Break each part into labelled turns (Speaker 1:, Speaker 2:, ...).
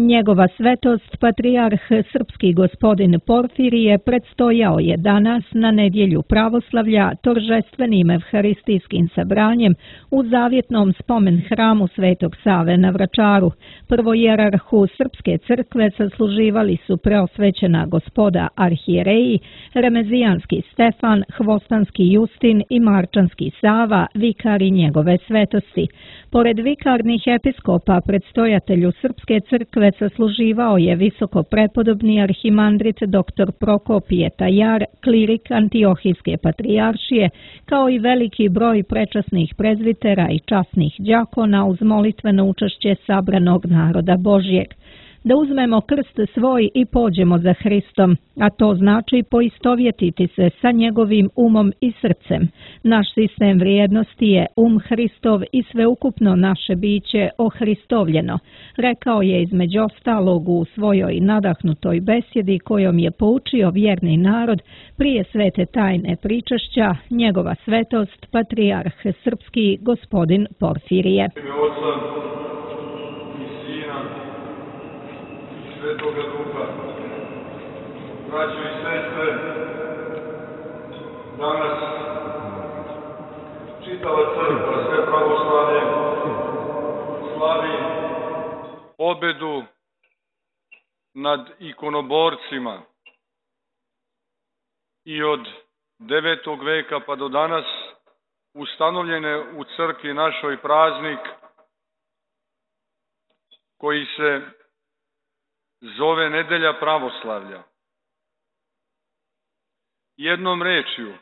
Speaker 1: Njegova svetost, patrijarh srpski gospodin Porfirije, predstojao je danas na nedjelju pravoslavlja toržestvenim evharistijskim sabranjem u zavjetnom spomen hramu Svetog Save na Vračaru. Prvojerarhu Srpske crkve sasluživali su preosvećena gospoda arhijereji, Remezijanski Stefan, Hvostanski Justin i Marčanski Sava, vikari njegove svetosti. Pored vikarnih episkopa, predstojatelju Srpske crkve sasluživao je visoko prepodobni arhimandrit dr. Prokopije Tajar, klirik Antiohijske patrijaršije, kao i veliki broj prečasnih prezvitera i časnih đakona uz molitveno učešće sabranog naroda Božjeg. Da uzmemo krst svoj i pođemo za Hristom, a to znači poistovjetiti se sa njegovim umom i srcem. Naš sistem vrijednosti je Hristov i sveukupno naše biće ohristovljeno, rekao je između ostalog u svojoj nadahnutoj besjedi kojom je poučio vjerni narod prije svete tajne pričašća njegova svetost, patrijarh srpski gospodin Porfirije.
Speaker 2: Svetoga Duha. Braćo i sestre, danas čitava crkva, sve pravoslavlje, slavi pobedu nad ikonoborcima. I od 9. veka pa do danas ustanovljen je u crkvi našoj praznik koji se zove Nedelja pravoslavlja. Jednom rečju,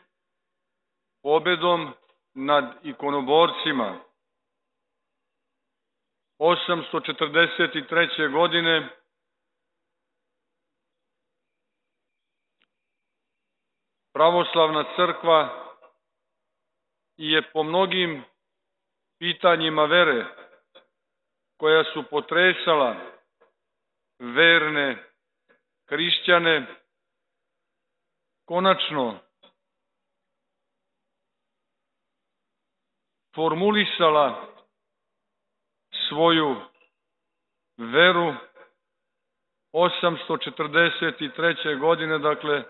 Speaker 2: pobedom nad ikonoborcima 843. godine pravoslavna crkva je po mnogim pitanjima vere koja su potresala verne hrišćane konačno formulisala svoju veru 843. godine, dakle,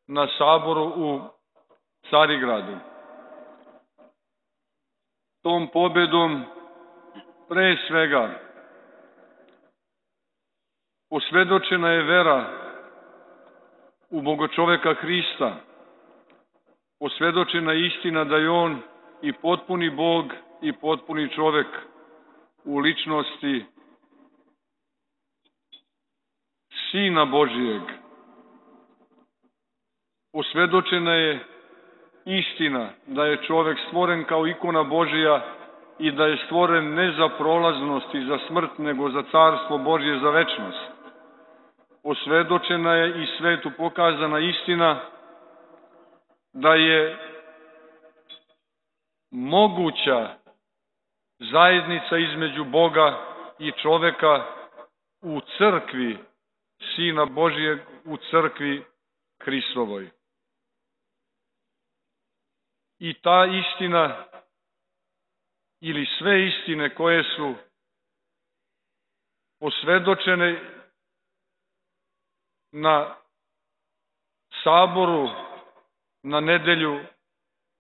Speaker 2: na saboru u Carigradu. Tom pobedom pre svega posvjedočena je vera u Bogočoveka Hrista, posvjedočena je istina da je on i potpuni Bog i potpuni čovek u ličnosti Sina Božijeg. Posvjedočena je istina da je čovek stvoren kao ikona Božija i da je stvoren ne za prolaznost i za smrt, nego za carstvo Božje, za večnost. Posvjedočena je i svetu pokazana istina da je moguća zajednica između Boga i čoveka u crkvi Sina Božijeg, u crkvi Hristovoj. I ta istina ili sve istine koje su posvjedočene na saboru, na nedelju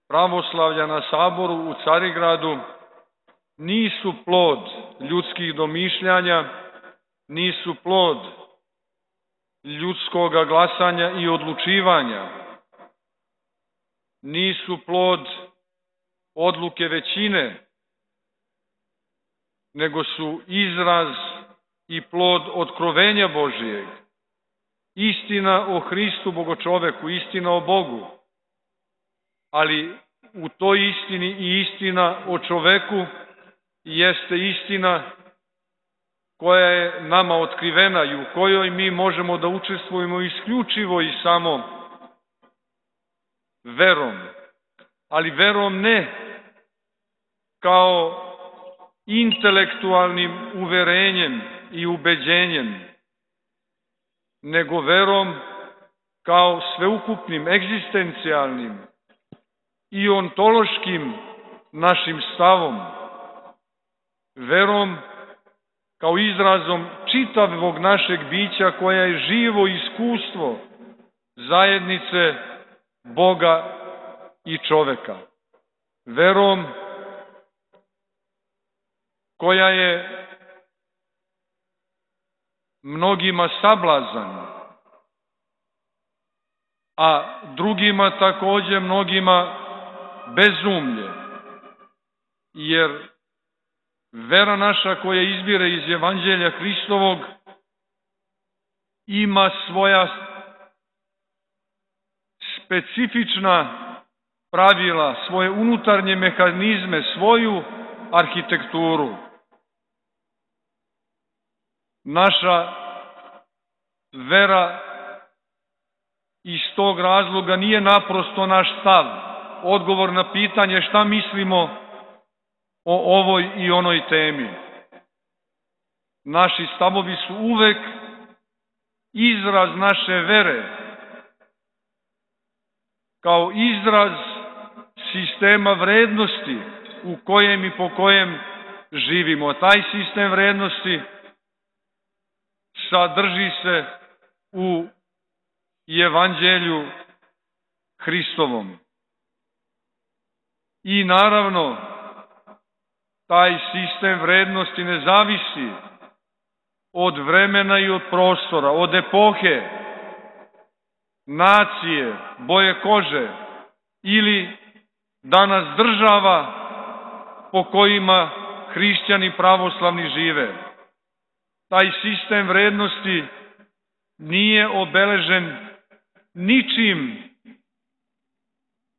Speaker 2: pravoslavlja, na saboru u Carigradu, nisu plod ljudskih domišljanja, nisu plod ljudskoga glasanja i odlučivanja, nisu plod odluke većine, nego su izraz i plod otkrovenja Božijeg. Istina o Hristu Bogočoveku, istina o Bogu, ali u toj istini i istina o čoveku jeste istina koja je nama otkrivena i u kojoj mi možemo da učestvujemo isključivo i samo verom, ali verom ne kao intelektualnim uverenjem i ubeđenjem, nego verom kao sveukupnim, egzistencijalnim i ontološkim našim stavom, verom kao izrazom čitavog našeg bića koja je živo iskustvo zajednice Boga i čoveka. Verom koja je mnogima sablazan, a drugima takođe mnogima bezumlje, jer vera naša koja izbire iz Evanđelja Hristovog ima svoja specifična pravila, svoje unutarnje mehanizme, svoju arhitekturu. Naša vera iz tog razloga nije naprosto naš stav, odgovor na pitanje šta mislimo o ovoj i onoj temi. Naši stavovi su uvek izraz naše vere, kao izraz sistema vrednosti u kojem i po kojem živimo. Taj sistem vrednosti sadrži se u Evanđelju Hristovom. I naravno, taj sistem vrednosti ne zavisi od vremena i od prostora, od epohe, nacije, boje kože ili danas država po kojima hrišćani pravoslavni žive. Taj sistem vrednosti nije obeležen ničim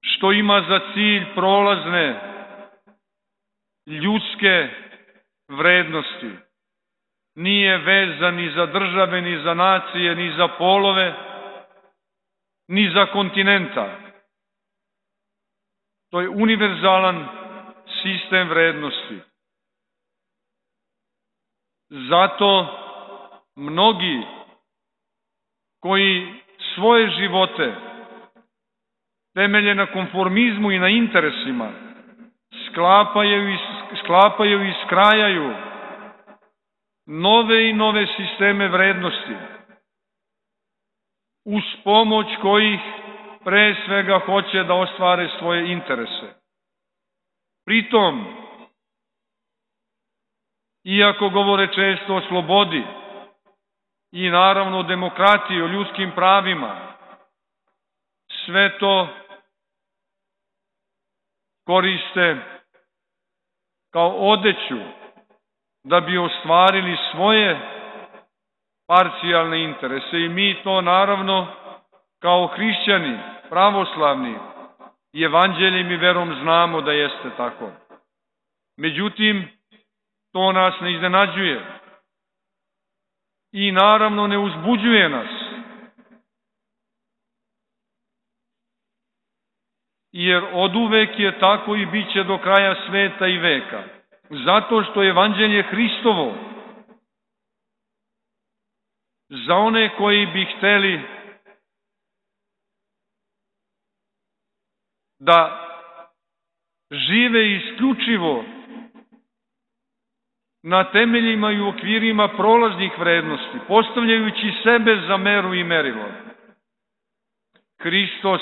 Speaker 2: što ima za cilj prolazne ljudske vrednosti. Nije vezan ni za države, ni za nacije, ni za polove, ni za kontinenta. To je univerzalan sistem vrednosti. Zato mnogi koji svoje živote temelje na konformizmu i na interesima, sklapaju i skrajaju nove i nove sisteme vrednosti, uz pomoć kojih pre svega hoće da ostvare svoje interese. Pritom, iako govore često o slobodi i naravno o demokratiji, o ljudskim pravima, sve to koriste kao odeću da bi ostvarili svoje parcijalne interese. I mi to naravno kao hrišćani, pravoslavni, evanđeljem i verom znamo da jeste tako. Međutim, to nas ne iznenađuje i naravno ne uzbuđuje nas. Jer oduvek je tako i bit će do kraja sveta i veka. Zato što je evanđelje Hristovo za one koji bi hteli da žive isključivo na temeljima i u okvirima prolaznih vrednosti, postavljajući sebe za meru i merilo. Hristos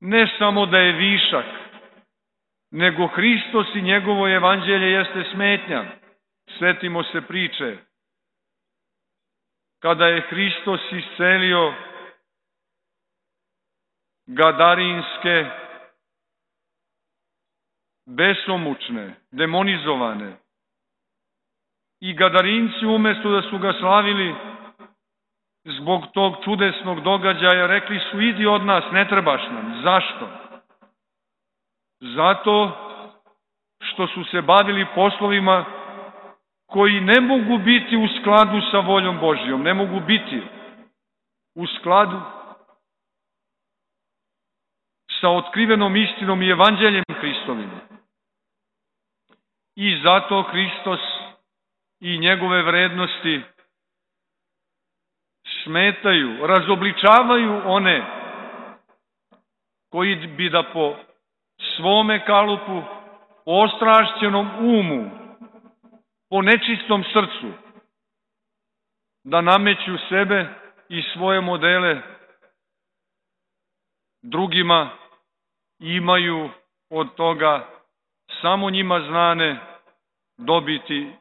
Speaker 2: ne samo da je višak, nego Hristos i njegovo evanđelje jeste smetnja. Svetimo se priče kada je Hristos iscelio gadarinske, besomučne, demonizovane. I gadarinci umesto da su ga slavili zbog tog čudesnog događaja, rekli su idi od nas, ne trebaš nam. Zašto? Zato što su se bavili poslovima koji ne mogu biti u skladu sa voljom Božjom, ne mogu biti u skladu sa otkrivenom istinom i evanđeljem Hristovim. I zato Hristos i njegove vrednosti smetaju, razobličavaju one koji bi da po svome kalupu, po ostrašćenom umu po nečistom srcu da nameću sebe i svoje modele drugima, imaju od toga samo njima znane dobiti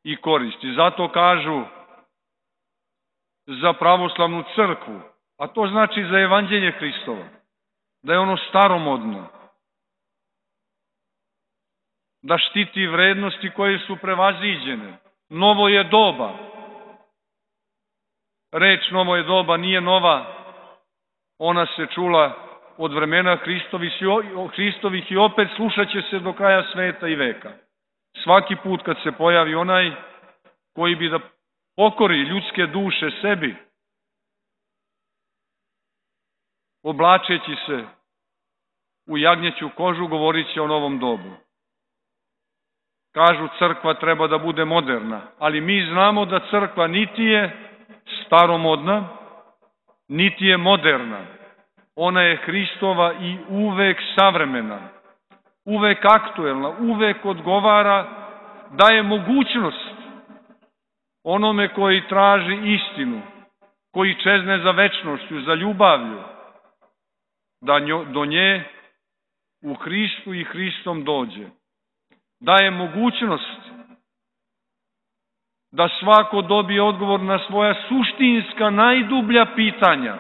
Speaker 2: i koristi. Zato kažu za pravoslavnu crkvu, a to znači za evanđelje Hristovo, da je ono staromodno, da štiti vrednosti koje su prevaziđene. Novo je doba. Reč novo je doba nije nova, ona se čula od vremena Hristovih i opet slušat će se do kraja sveta i veka. Svaki put kad se pojavi onaj koji bi da pokori ljudske duše sebi, oblačeći se u jagnjeću kožu, govorit će o novom dobu. Kažu crkva treba da bude moderna, ali mi znamo da crkva niti je staromodna, niti je moderna. Ona je Hristova i uvek savremena, uvek aktuelna, uvek odgovara, daje mogućnost onome koji traži istinu, koji čezne za večnošću, za ljubavlju, da do nje u Hristu i Hristom dođe. Daje mogućnost da svako dobije odgovor na svoja suštinska, najdublja pitanja.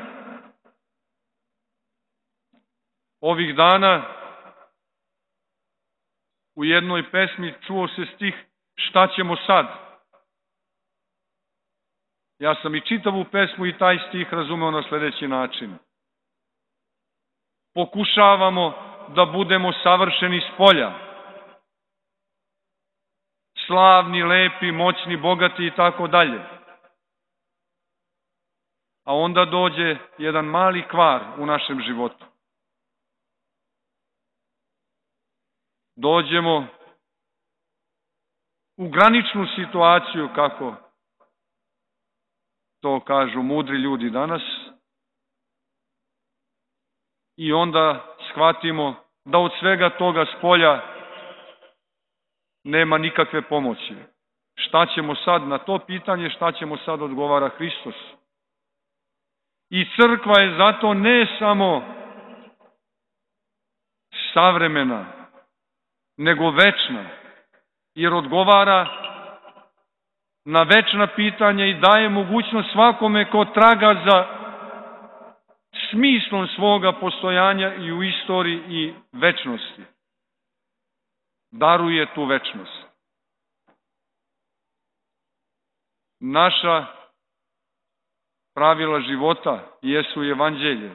Speaker 2: Ovih dana u jednoj pesmi čuo se stih "Šta ćemo sad?" Ja sam i čitavu pesmu i taj stih razumeo na sledeći način. Pokušavamo da budemo savršeni spolja, slavni, lepi, moćni, bogati i tako dalje. A onda dođe jedan mali kvar u našem životu. Dođemo u graničnu situaciju, kako to kažu mudri ljudi danas, i onda shvatimo da od svega toga spolja nema nikakve pomoći. Šta ćemo sad na to pitanje, šta ćemo sad, odgovara Hristos. I crkva je zato ne samo savremena, nego večna, jer odgovara na večna pitanja i daje mogućnost svakome ko traga za smislom svoga postojanja i u istoriji i večnosti. Daruje tu večnost. Naša pravila života jesu evanđelje,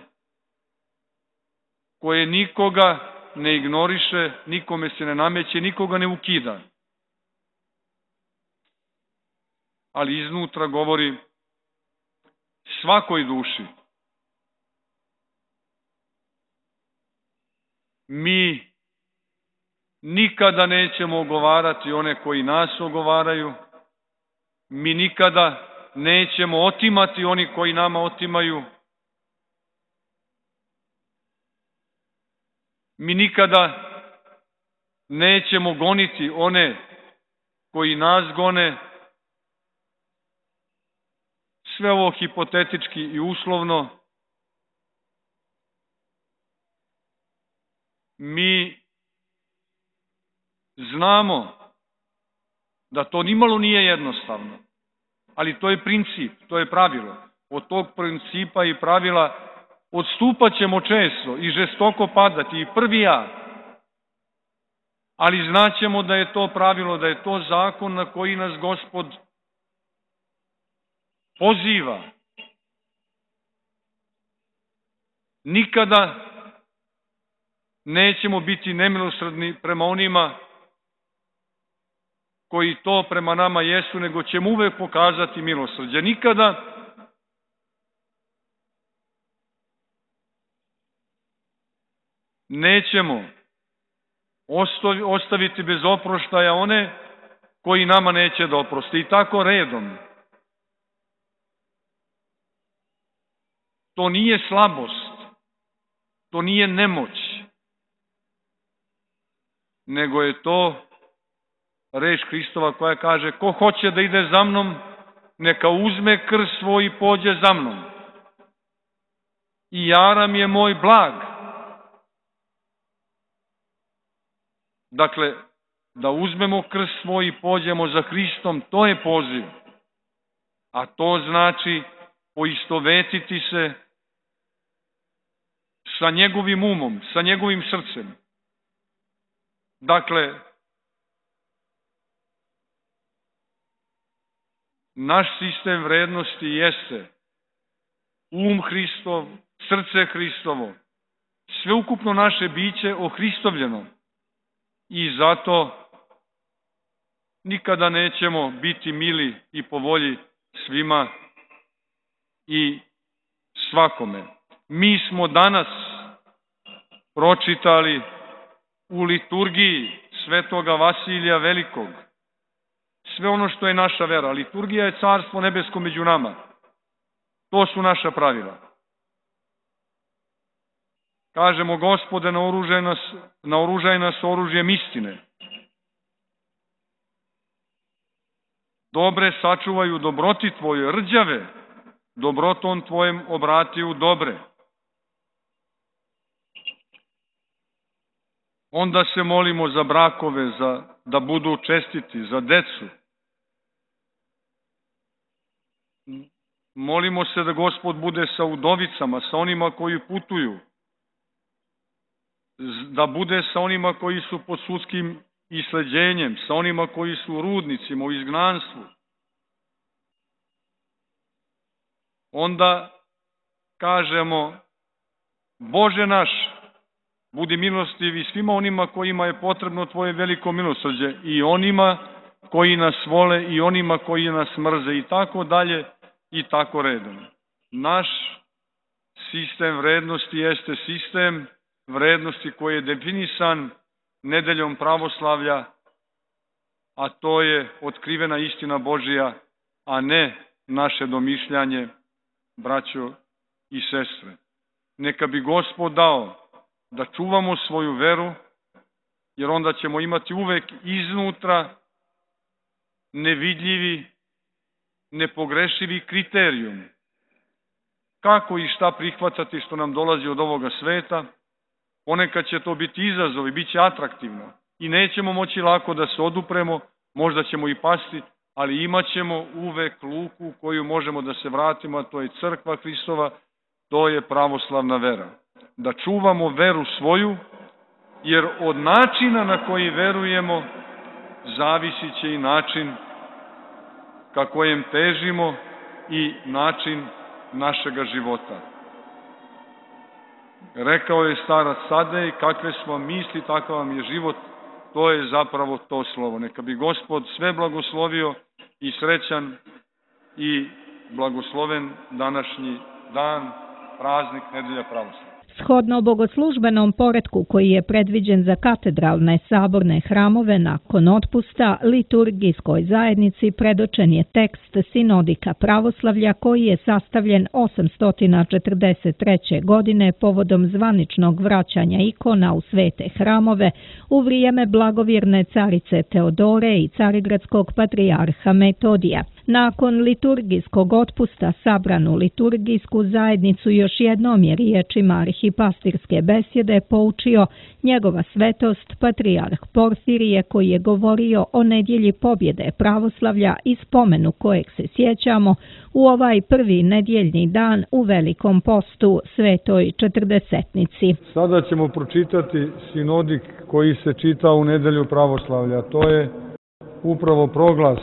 Speaker 2: koje nikoga ne ignoriše, nikome se ne nameće, nikoga ne ukida. Ali iznutra govori svakoj duši. Mi nikada nećemo ogovarati one koji nas ogovaraju, mi nikada nećemo otimati oni koji nama otimaju, mi nikada nećemo goniti one koji nas gone. Sve ovo hipotetički i uslovno. Mi znamo da to nimalo nije jednostavno, ali to je princip, to je pravilo. Od tog principa i pravila odstupat ćemo često i žestoko padati, i prvi ja. Ali znaćemo da je to pravilo, da je to zakon na koji nas Gospod poziva. Nikada nećemo biti nemilosrdni prema onima koji to prema nama jesu, nego ćemo uvek pokazati milosrđe. Nikada nećemo ostaviti bez oproštaja one koji nama neće da oproste. I tako redom. To nije slabost, to nije nemoć, nego je to reč Hristova koja kaže: ko hoće da ide za mnom, neka uzme krst svoj i pođe za mnom. I jaram je moj blag. Dakle, da uzmemo krst svoj i pođemo za Hristom, to je poziv. A to znači poistovetiti se sa njegovim umom, sa njegovim srcem. Dakle, naš sistem vrednosti jeste um Hristov, srce Hristovo, sveukupno naše biće ohristovljeno. I zato nikada nećemo biti mili i po volji svima i svakome. Mi smo danas pročitali u liturgiji Svetoga Vasilija Velikog sve ono što je naša vera. Liturgija je carstvo nebesko među nama. To su naša pravila. Kažemo: Gospode, naoružaj nas oružjem istine. Dobre sačuvaju dobroti Tvoje, rđave dobrotom Tvojem obrati u dobre. Onda se molimo za brakove, da budu čestiti, za decu. Molimo se da Gospod bude sa udovicama, sa onima koji putuju, da bude sa onima koji su pod sudskim isleđenjem, sa onima koji su u rudnicima, u izgnanstvu. Onda kažemo: Bože naš, budi milostiv i svima onima kojima je potrebno Tvoje veliko milosrđe, i onima koji nas vole i onima koji nas mrze, i tako dalje i tako redom. Naš sistem vrednosti jeste sistem vrednosti koji je definisan nedeljom pravoslavlja, a to je otkrivena istina Božija, a ne naše domišljanje, braćo i sestre. Neka bi Gospod dao da čuvamo svoju veru, jer onda ćemo imati uvek iznutra nevidljivi, nepogrešivi kriterijum. Kako i šta prihvatati što nam dolazi od ovoga sveta? Ponekad će to biti izazov i bit će atraktivno. I nećemo moći lako da se odupremo, možda ćemo i pasti, ali imat ćemo uvek luku koju možemo da se vratimo, a to je crkva Hristova, to je pravoslavna vera. Da čuvamo veru svoju, jer od načina na koji verujemo zavisit će i način ka kojem težimo i način našega života. Rekao je starac Sadej: kakve smo misli, takav vam je život. To je zapravo to slovo. Neka bi Gospod sve blagoslovio i srećan i blagosloven današnji dan, praznik Nedelja pravoslavlja.
Speaker 1: Shodno bogoslužbenom poretku koji je predviđen za katedralne saborne hramove, nakon otpusta liturgijskoj zajednici predočen je tekst Sinodika pravoslavlja koji je sastavljen 843. godine povodom zvaničnog vraćanja ikona u svete hramove u vrijeme blagovjerne carice Teodore i carigradskog patrijarha Metodija. Nakon liturgijskog otpusta sabranu liturgijsku zajednicu još jednom je riječima arhipastirske besjede poučio njegova svetost patrijarh Porfirije, koji je govorio o nedjelji pobjede pravoslavlja i spomenu kojeg se sjećamo u ovaj prvi nedjeljni dan u Velikom postu, Svetoj Četrdesetnici.
Speaker 3: Sada ćemo pročitati sinodik koji se čita u nedelju pravoslavlja. To je upravo proglas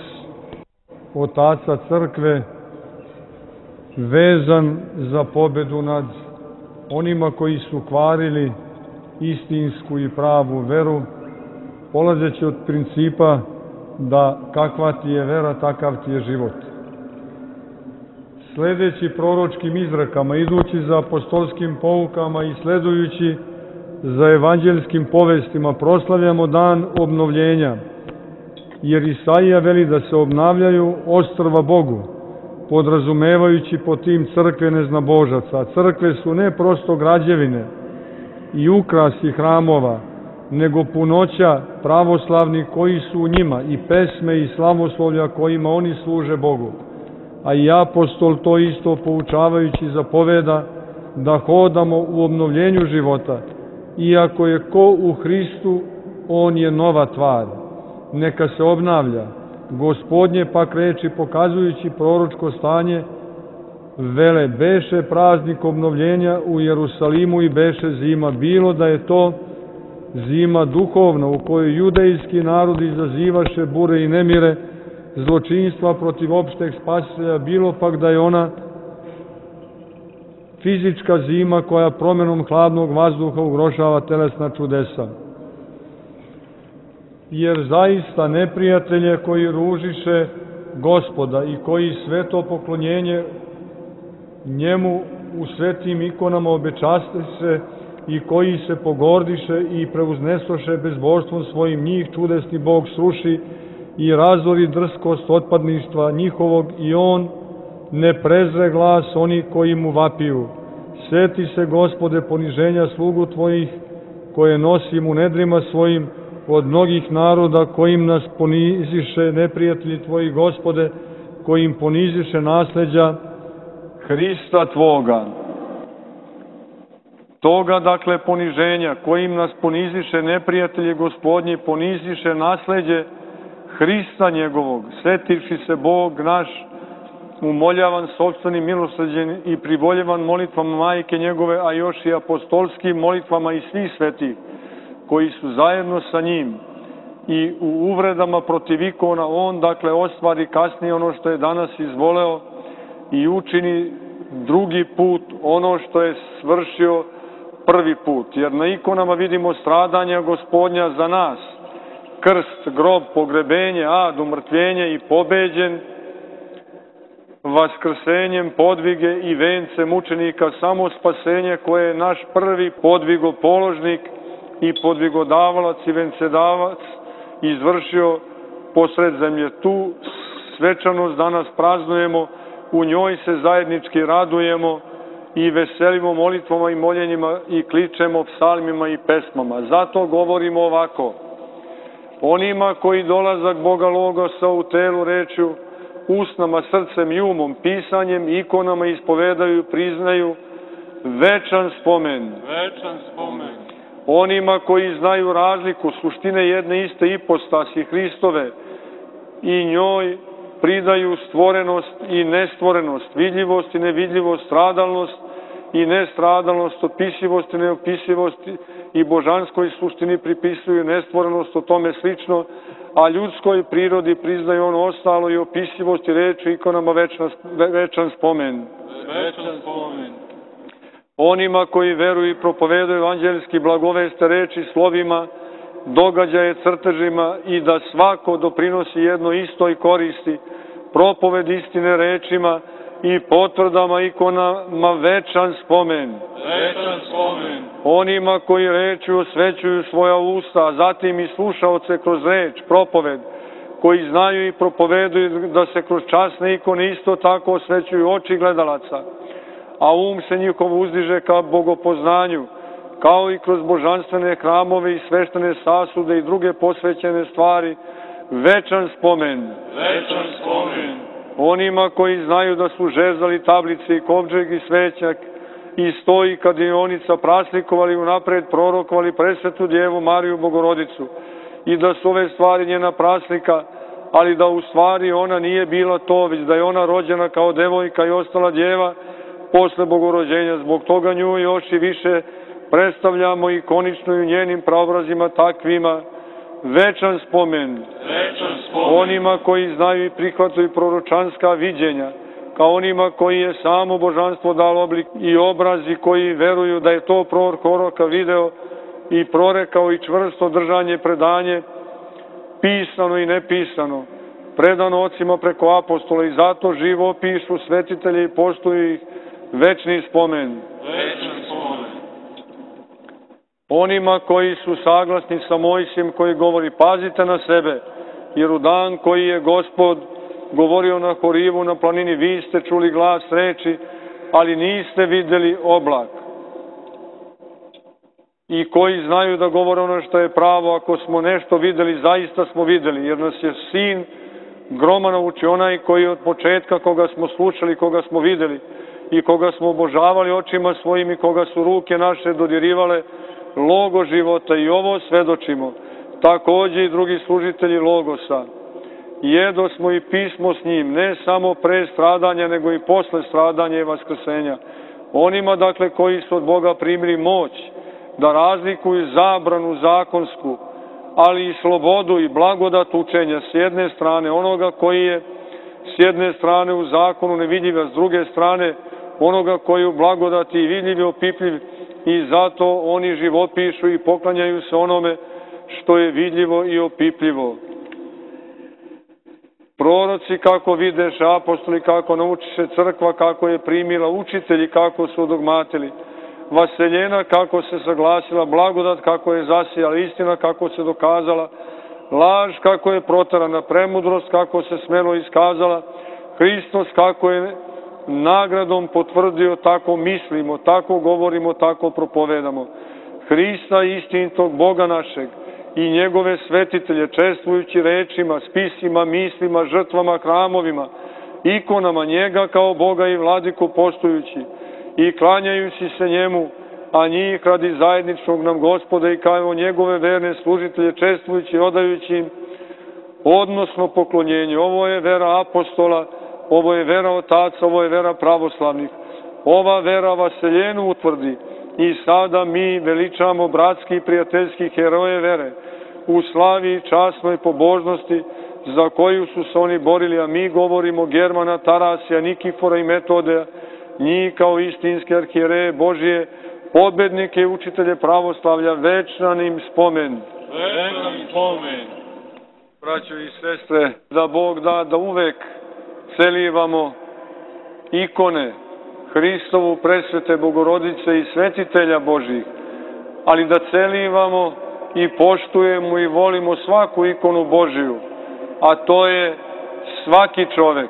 Speaker 3: otaca crkve vezan za pobjedu nad onima koji su kvarili istinsku i pravu veru, polazeći od principa da kakva ti je vera, takav ti je život. Sledeći proročkim izrekama, idući za apostolskim poukama i sledujući za evanđelskim povestima, proslavljamo dan obnovljenja, jer Isaija veli da se obnavljaju ostrva Bogu, podrazumevajući po tim crkve neznabožaca. Crkve su ne prosto građevine i ukrasi hramova, nego punoća pravoslavnih koji su u njima i pesme i slavoslovlja kojima oni služe Bogu. A i apostol to isto poučavajući zapoveda da hodamo u obnovljenju života. Iako je ko u Hristu, on je nova tvar. Neka se obnavlja. Gospodnje pak reči pokazujući proročko stanje vele, beše praznik obnovljenja u Jerusalimu i beše zima, bilo da je to zima duhovna u kojoj judejski narod izazivaše bure i nemire, zločinstva protiv opšteg spasitelja, bilo pak da je ona fizička zima koja promenom hladnog vazduha ugrožava telesna čudesa. Jer zaista neprijatelje koji ružiše Gospoda i koji sveto poklonjenje njemu u svetim ikonama obečaste se i koji se pogordiše i preuznesoše bezbožstvom svojim, njih čudesni Bog sruši i razori drskost otpadništva njihovog i on ne prezre glas oni koji mu vapiju. Seti se, Gospode, poniženja slugu tvojih koje nosim u nedrima svojim od mnogih naroda kojim nas poniziše neprijatelji tvoji, Gospode, kojim poniziše nasleđa Hrista tvoga. Toga, dakle, poniženja kojim nas poniziše neprijatelji Gospodnji, poniziše nasleđe Hrista njegovog, setivši se Bog naš, umoljavan sopstvenim milosrđem i privoljevan molitvama majke njegove, a još i apostolskim molitvama i svih svetih, koji su zajedno sa njim i u uvredama protiv ikona, on, dakle, ostvari kasnije ono što je danas izvoleo i učini drugi put ono što je svršio prvi put. Jer na ikonama vidimo stradanja Gospodnja za nas, krst, grob, pogrebenje, ad, umrtvljenje i pobeđen, vaskrsenjem, podvige i vence mučenika, samo spasenje koje je naš prvi podvigopoložnik i podvigodavalac i vencedavac izvršio posred zemlje. Tu svečanost danas praznujemo, u njoj se zajednički radujemo i veselimo molitvama i moljenjima i kličemo psalmima i pesmama. Zato govorimo ovako: onima koji dolazak Boga Logosa u telu rečju, usnama, srcem i umom, pisanjem, ikonama ispovedaju, priznaju večan spomen.
Speaker 2: Večan spomen.
Speaker 3: Onima koji znaju razliku suštine jedne iste ipostasi Hristove i njoj pridaju stvorenost i nestvorenost, vidljivost i nevidljivost, stradalnost i nestradalnost, opisivost i neopisivost i božanskoj suštini pripisuju nestvorenost, o tome slično, a ljudskoj prirodi priznaju ono ostalo i opisivost i reči ikonama večan spomen.
Speaker 2: Večan spomen.
Speaker 3: Onima koji veruju i propovedaju evanđeljski blagoveste reči slovima, događaje crtežima i da svako doprinosi jedno isto i koristi, propoved istine rečima i potvrdama ikonama večan spomen.
Speaker 2: Večan spomen.
Speaker 3: Onima koji rečju osvećuju svoja usta, a zatim i slušaoce kroz reč, propoved, koji znaju i propoveduju da se kroz časne ikone isto tako osvećuju oči gledalaca, a se njihov uzdiže ka bogopoznanju, kao i kroz božanstvene hramove i sveštene sasude i druge posvećene stvari, večan spomen.
Speaker 2: Večan spomen.
Speaker 3: Onima koji znaju da su žezali tablice i kovčeg i svećak i stoji kadionica praslikovali unapred prorokovali presvetu Djevu Mariju Bogorodicu i da su ove stvari njena praslika, ali da u stvari ona nije bila to, već da je ona rođena kao devojka i ostala djeva posle Bogorođenja. Zbog toga nju još i više predstavljamo ikonično i u njenim praobrazima takvima večan spomen.
Speaker 2: Večan spomen.
Speaker 3: Onima koji znaju i prihvataju proročanska viđenja, kao onima koji je samo božanstvo dalo oblik i obraz i koji veruju da je to proroka video i prorekao i čvrsto držanje predanje, pisano i nepisano, predano ocima preko apostola i zato živo pišu svetitelji i poštuju ih večni spomen.
Speaker 2: Večan spomen.
Speaker 3: Onima koji su saglasni sa Mojsijem koji govori pazite na sebe, jer u dan koji je Gospod govorio na Horivu na planini, vi ste čuli glas reči, ali niste vidjeli oblak. i koji znaju da govore ono što je pravo. Ako smo nešto videli, zaista smo videli, jer nas je Sin groma naučio, onaj koji od početka, koga smo slušali, koga smo videli i koga smo obožavali očima svojim i koga su ruke naše dodirivale logo života, i ovo svedočimo. Takođe i drugi služitelji logosa. Jedo smo i pismo s njim, ne samo pre stradanja, nego i posle stradanja i vaskrsenja. Onima, dakle, koji su od Boga primili moć da razlikuju zabranu zakonsku, ali i slobodu i blagodat učenja s jedne strane, onoga koji je s jedne strane u zakonu nevidljiv, a s druge strane onoga koji je u blagodati i vidljiv i opipljiv, i zato oni živopišu i poklanjaju se onome što je vidljivo i opipljivo. Proroci kako videše, apostoli kako naučiše, crkva kako je primila, učitelji kako su dogmatili, vaseljena kako se saglasila, blagodat kako je zasijala, istina kako se dokazala, laž kako je protarana, premudrost kako se smelo iskazala, Hristos kako je nagradom potvrdio, tako mislimo, tako govorimo, tako propovedamo. Hrista istinitog Boga našeg i njegove svetitelje, čestvujući rečima, spisima, mislima, žrtvama, hramovima, ikonama, njega kao Boga i vladiku poštujući i klanjajući se njemu, a njih radi zajedničnog nam Gospoda i kao njegove verne služitelje, čestvujući i odajući im odnosno poklonjenje. Ovo je vera apostola, ovo je vera otaca, ovo je vera pravoslavnih. Ova vera vaseljenu utvrdi i sada mi veličamo bratski i prijateljski heroje vere u slavi, časnoj pobožnosti za koju su se oni borili, a mi govorimo Germana, Tarasija, Nikifora i Metodeja, njih kao istinske arhijereje Božije, pobednike i učitelje pravoslavlja, večnan im spomen.
Speaker 2: Večnan spomen.
Speaker 3: Braćo i sestre, da Bog da da uvek celivamo ikone Hristovu, presvete Bogorodice i svetitelja Božih, ali da celivamo i poštujemo i volimo svaku ikonu Božiju, a to je svaki čovek,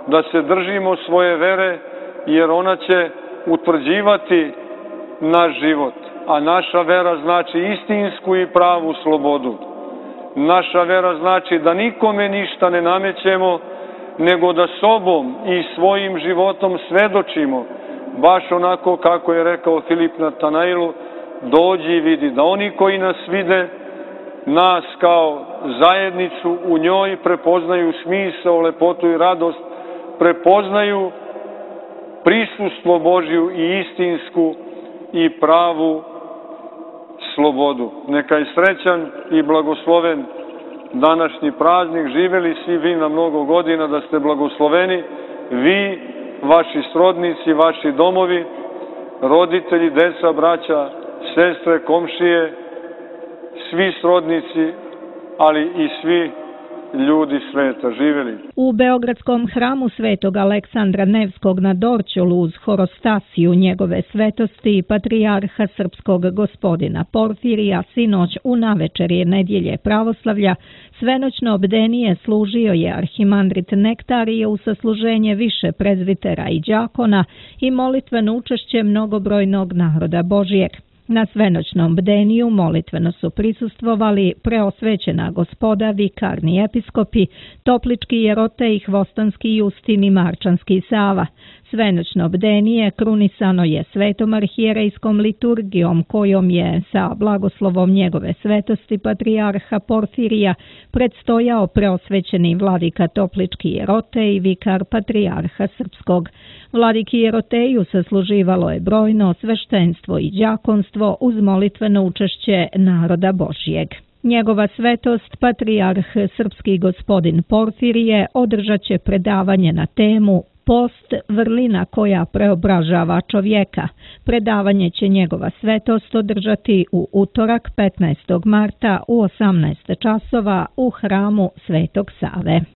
Speaker 3: da se držimo svoje vere, jer ona će utvrđivati naš život, a naša vera znači istinsku i pravu slobodu. Naša vera znači da nikome ništa ne namećemo, nego da sobom i svojim životom svedočimo, baš onako kako je rekao Filip Natanailu, dođi i vidi, da oni koji nas vide, nas kao zajednicu u njoj, prepoznaju smisao, lepotu i radost, prepoznaju prisustvo Božju i istinsku i pravu slobodu. Neka je srećan i blagosloven današnji praznik, živeli svi vi na mnogo godina, da ste blagosloveni, vi, vaši srodnici, vaši domovi, roditelji, deca, braća, sestre, komšije, svi srodnici, ali i svi ljudi sveta. Živeli.
Speaker 1: U Beogradskom hramu Svetog Aleksandra Nevskog na Dorćolu uz horostasiju njegove svetosti patrijarha srpskog gospodina Porfirija sinoć u navečerje nedjelje pravoslavlja svenoćno obdenije služio je arhimandrit Nektarije u sasluženje više prezvitera i đakona i molitveno učešće mnogobrojnog naroda Božijeg. Na svenoćnom bdeniju molitveno su prisustvovali preosvećena gospoda, vikarni episkopi, toplički Jerotej, Hvostanski Justin i Marčanski Sava. Svenoćno bdenije krunisano je svetom arhijerejskom liturgijom kojom je sa blagoslovom njegove svetosti patrijarha Porfirija predstojao preosvećeni vladika toplički Jerotej, vikar patrijarha srpskog. Vladiki Jeroteju sasluživalo je brojno sveštenstvo i đakonstvo uz molitveno učešće naroda Božijeg. Njegova svetost, patrijarh srpski gospodin Porfirije, održat će predavanje na temu Post, vrlina koja preobražava čovjeka. Predavanje će njegova svetost održati u utorak 15. marta u 18 časova u hramu Svetog Save.